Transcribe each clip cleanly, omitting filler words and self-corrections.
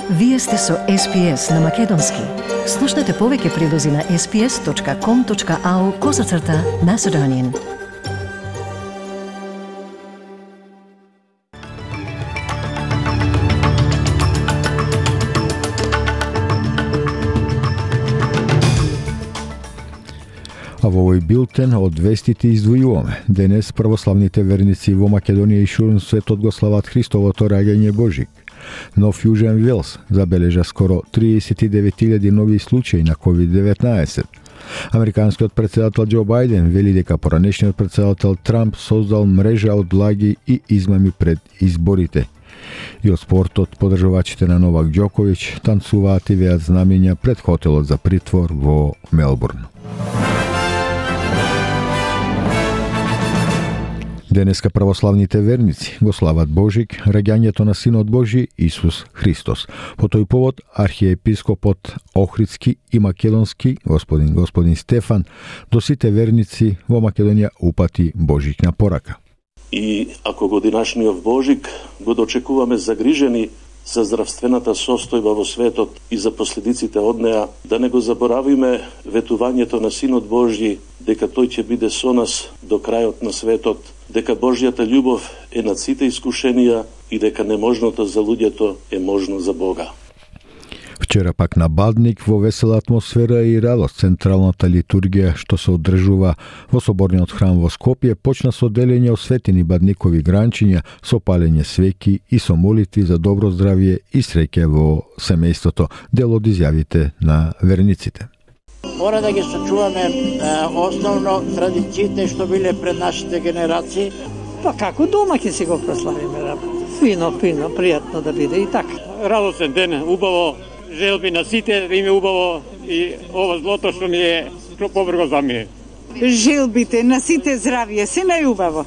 Вие сте со SPS на Македонски. Слушнете повеќе прилози на sps.com.au/Macedonian. А во овој билтен од вестите издвојуваме. Денес православните верници во Македонија и ширум светот го слават Христовото раѓање Божик. Нов Јужен Велс забележа скоро 39.000 нови случаи на COVID-19. Американскиот претседател Џо Бајден вели дека поранешниот претседател Трамп создал мрежа од лаги и измами пред изборите. И од спортот, подржувачите на Новак Џоковиќ танцуваат и веат знамења пред хотелот за притвор во Мелбурн. Денеска православните верници го слават Божик, раѓањето на Синот Божи Исус Христос. По тој повод архиепископот Охридски и Македонски, господин Стефан, до сите верници во Македонија упати Божикна порака. И ако годинашниот Божик го дочекуваме загрижени за здравствената состојба во светот и за последиците од неа, да не го заборавиме ветувањето на Синот Божји дека тој ќе биде со нас до крајот на светот, дека Божјата љубов е над сите искушенија и дека неможното за луѓето е можно за Бога. Вчера пак на Бадник во весела атмосфера и радост централната литургија што се одржува во соборниот храм во Скопје почна со делење осветени бадникови гранчиња, со палење свеќи и со молитви за добро здравје и среќа во семејството, дел од изјавите на верниците. Мора да ги сочуваме основно традициите што биле пред нашите генерации. Па како дома ќе си го прославиме? Фино, пријатно да биде и така. Радосен ден, убаво, желби на сите, да им е убаво и ова злото што ни е побрго замие. Желбите на сите здравје, се најубаво.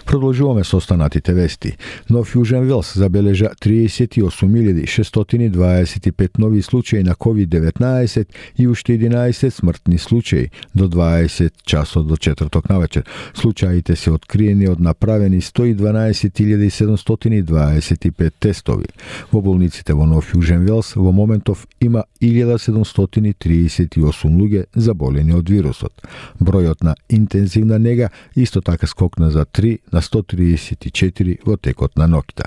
Продолжуваме со останатите вести. Нов Јужен Велс забележа 38.625 нови случаи на COVID-19 и уште 11 смртни случаи до 20 часот до четврток навечер. Случаите се откриени од направени 112.725 тестови. Во болниците во Нов Јужен Велс во моментов има 1738 луѓе заболени од вирусот. Бројот на интензивна нега исто така скокна за 3 на 134 во текот на ноќта.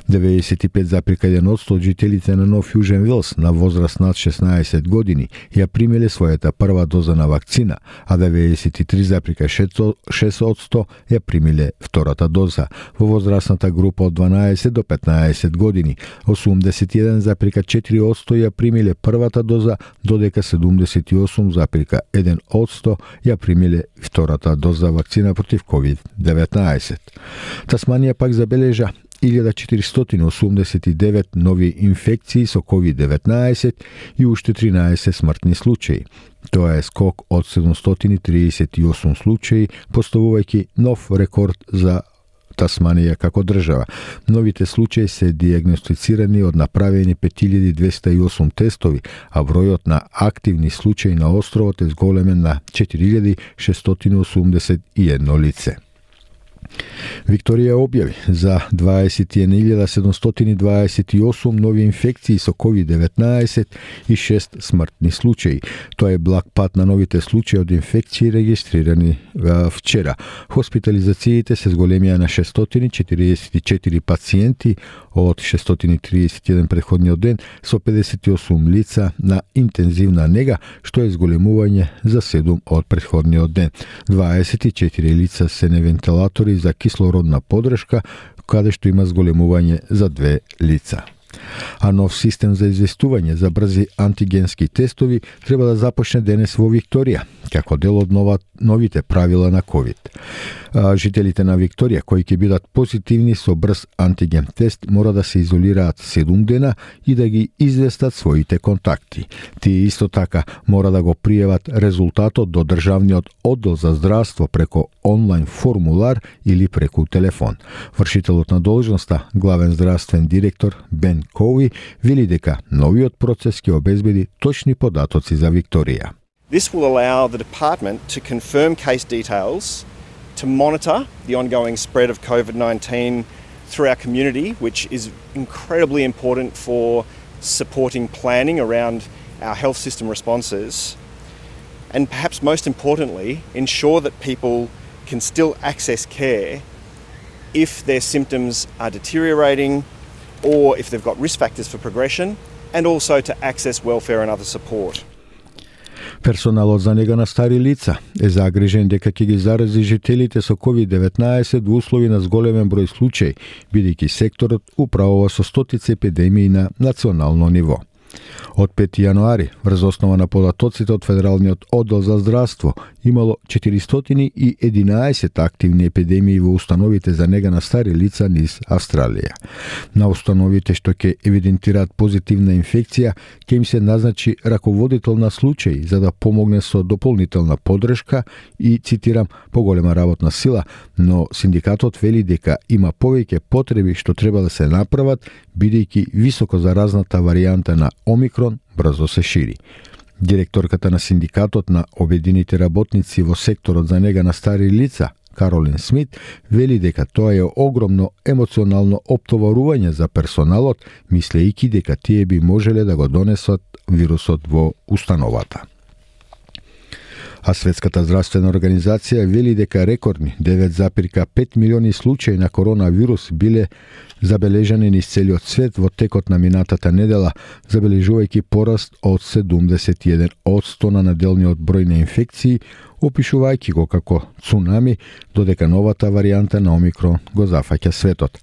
95,1% од жителите на Нов Јужен Велс на возраст над 16 години ја примиле својата прва доза на вакцина, а 93,6% ја примиле втората доза. Во возрастната група од 12 до 15 години 81,4% ја примиле првата доза, додека 78,1% ја примиле втората доза вакцина против COVID-19. Тасманија пак забележа 1489 нови инфекции со COVID-19 и уште 13 смртни случаи. Тоа е скок од 738 случаи, поставувајќи нов рекорд за Тасманија како држава. Новите случаи се диагностицирани од направени 5208 тестови, а бројот на активни случаи на островот е зголемен на 4681 лице. Викторија објави за 21.728 нови инфекции со COVID-19 и 6 смртни случаи. Тоа е благ пат на новите случаи од инфекции регистрирани вчера. Хоспитализациите се зголемија на 644 пациенти од 631 претходниот ден со 58 лица на интензивна нега, што е зголемување за 7 од претходниот ден. 24 лица се на вентилатори за кислородна подршка, каде што има зголемување за 2 лица. А нов систем за известување за брзи антигенски тестови треба да започне денес во Викторија, како дел од новите правила на COVID. Жителите на Викторија кои ќе бидат позитивни со брз антиген тест мора да се изолираат 7 дена и да ги известат своите контакти. Тие исто така мора да го пријават резултатот до Државниот оддел за здравство преку онлайн формулар или преку телефон. Вршителот на должноста, главен здравствен директор Бен Коуи, вели дека новиот процес ќе обезбеди точни податоци за Викторија. This will allow the department to confirm case details, to monitor the ongoing spread of COVID-19 through our community, which is incredibly important for supporting planning around our health system responses. And perhaps most importantly, ensure that people can still access care if their symptoms are deteriorating or if they've got risk factors for progression, and also to access welfare and other support. Персоналот за нега на стари лица е загрижен дека ќе ги зарази жителите со COVID-19 во услови на зголемен број случаи, бидејќи секторот управува со стотици епидемии на национално ниво. Од 5 јануари, врз основа на податоците од Федералниот оддел за здравство, имало 411 активни епидемии во установите за нега на стари лица низ Австралија. На установите што ќе евидентираат позитивна инфекција, ќе им се назначи раководител на случаи за да помогне со дополнителна подршка и, цитирам, поголема работна сила, но синдикатот вели дека има повеќе потреби што треба да се направат, бидејќи високо заразната варијанта на Омикрон брзо се шири. Директорката на синдикатот на обединените работници во секторот за нега на стари лица, Каролин Смит, вели дека тоа е огромно емоционално оптоварување за персоналот, мислејќи дека тие би можеле да го донесат вирусот во установата. А Светската здравствена организација вели дека рекордни 9,5 милиони случаи на коронавирус биле забележани низ целиот свет во текот на минатата недела, забележувајќи пораст од 71% на неделниот број на инфекции, опишувајќи го како цунами, додека новата варијанта на Омикрон го зафаќа светот.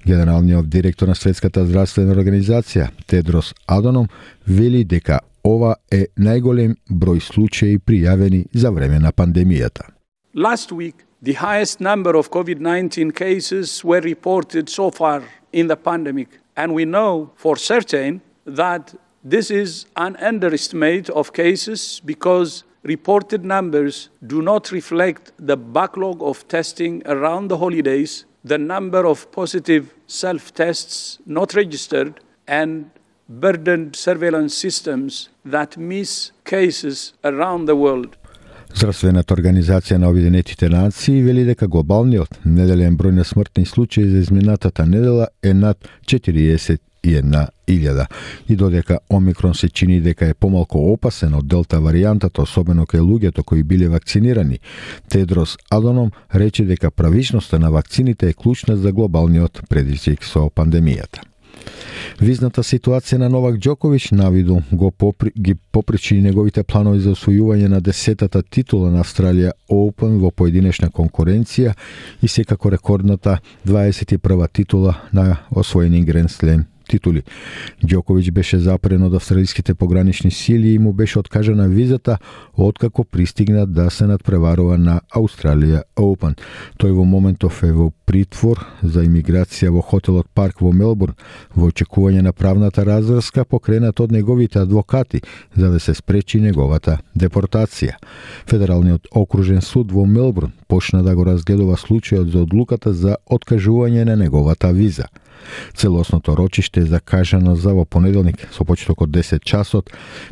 Генералниот директор на Светската здравствена организација, Тедрос Аданом, вели дека ова е најголем број случаи пријавени за време на пандемијата. Last week, the highest number of COVID-19 cases were reported so far in the pandemic, and we know for certain that this is an underestimate of cases because reported numbers do not reflect the backlog of testing around the holidays, the number of positive self-tests not registered, and burdened surveillance systems that miss cases around the world. Здравствената организација на Обединетите нации вели дека глобалниот неделен број на смртни случаи за изминатата недела е над 41.000 и додека Омикрон се чини дека е помалку опасен од Делта варијантата, особено кај луѓето кои биле вакцинирани, Тедрос Аданом рече дека правичноста на вакцините е клучна за глобалниот предизвик со пандемијата. Визната ситуација на Новак Џоковиќ навиду ги попречи неговите планови за освојување на 10-та титула на Австралија Open во поединечна конкуренција и секако рекордната 21-та титула на освоени Гранд Слем титули. Џоковиќ беше запрен од австралиските погранични сили и му беше откажана визата откако пристигна да се надпреварува на Australia Open. Тој во моментов е во притвор за имиграција во хотелот Парк во Мелбурн во очекување на правната разврска покрената од неговите адвокати за да се спречи неговата депортација. Федералниот окружен суд во Мелбурн почна да го разгледува случајот за одлуката за откажување на неговата виза. Целосното рочиште е закажано за во понеделник со почеток од 10 часот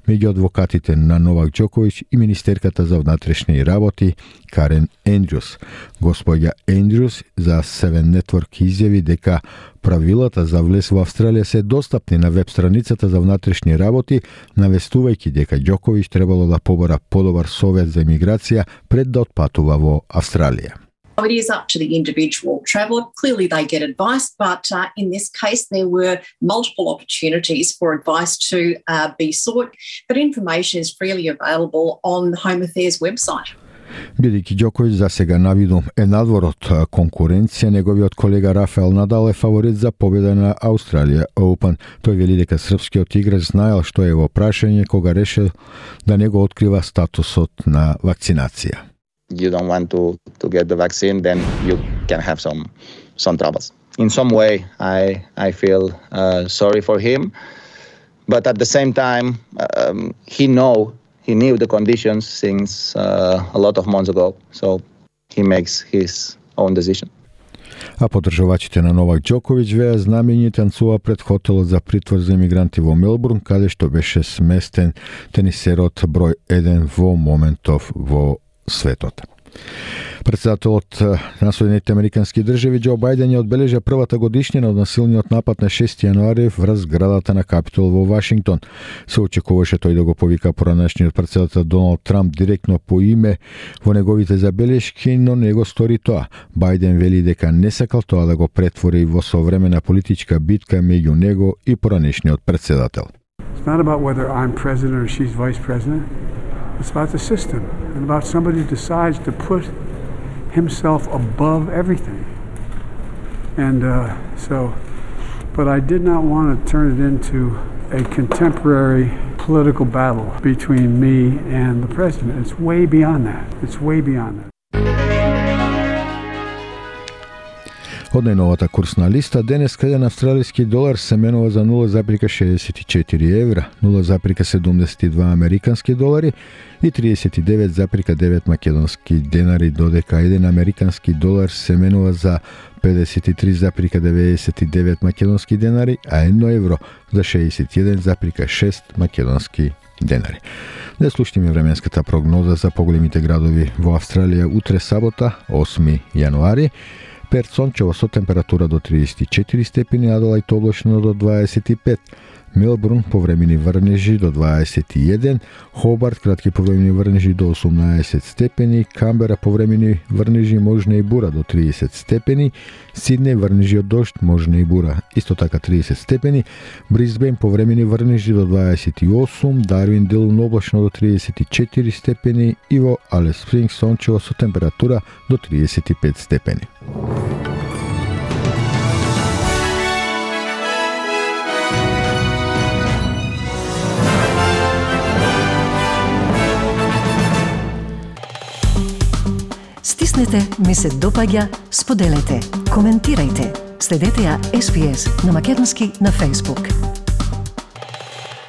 меѓу адвокатите на Новак Џоковиќ и министерката за внатрешни работи Карен Ендрюс. Господја Ендрюс за Seven Network изјави дека правилата за влез во Австралија се достапни на веб страницата за внатрешни работи, навестувајќи дека Џоковиќ требало да побара подобар совет за имиграција пред да отпатува во Австралија. It is up to the individual traveller. Clearly they get advice, but in this case there were multiple opportunities for advice to be sought, but information is freely available on the Home Affairs website. Бидејќи Џоковиќ за сега навиду е надвор од конкуренција, неговиот колега Рафаел Надал е фаворит за победа на Australia Open. Тој вели дека српскиот играч знаел што е во прашање кога решил да не го открива статусот на вакцинација. You don't want to get the vaccine, then you can have some troubles. In some way, I feel sorry for him, but at the same time, he knew the conditions since a lot of months ago, so he makes his own decision. А поддржувачите на Новак Џоковиќ веа знамени танцува пред хотелот за притвор за имигранти во Мелбурн, каде што беше сместен тенисерот број 1 во моментов во светот. Председателот на Соединетите Американски држави Џо Бајден ја одбележа првата годишнина од насилниот напад на 6 јануари врз зградата на Капитол во Вашингтон. Се очекуваше тој да го повика поранешниот председател Доналд Трамп директно по име во неговите забелешки, но не го стори тоа. Бајден вели дека не сакал тоа да го претвори во современа политичка битка меѓу него и поранешниот председател. It's not about whether I'm president or she's vice president. It's about the system and about somebody who decides to put himself above everything. And but I did not want to turn it into a contemporary political battle between me and the president. It's way beyond that. It's way beyond that. Од најновата курсна листа, денес еден австралиски долар се менува за 0,64 евра, 0,72 американски долари и 39,9 македонски денари, додека еден американски долар се менува за 53,99 македонски денари, а 1 евро за 61,6 македонски денари. Да слушнеме временската прогноза за поголемите градови во Австралија утре сабота, 8 јануари. Перт сончево со температура до 34 степени, Аделајд облачно до 25, Мелбурн повремени врнежи до 21, Хобарт кратки повремени врнежи до 18 степени, Камбера повремени врнежи можна и бура до 30 степени, Сиднеј врнежи од дожд можна и бура исто така 30 степени, Брисбен повремени врнежи до 28, Дарвин делумно облачно до 34 степени и во Алис Спрингс сончево со температура до 35 степени. Стиснете ми се допаѓа, споделете, коментирајте. Следете ја SPS на македонски на Facebook.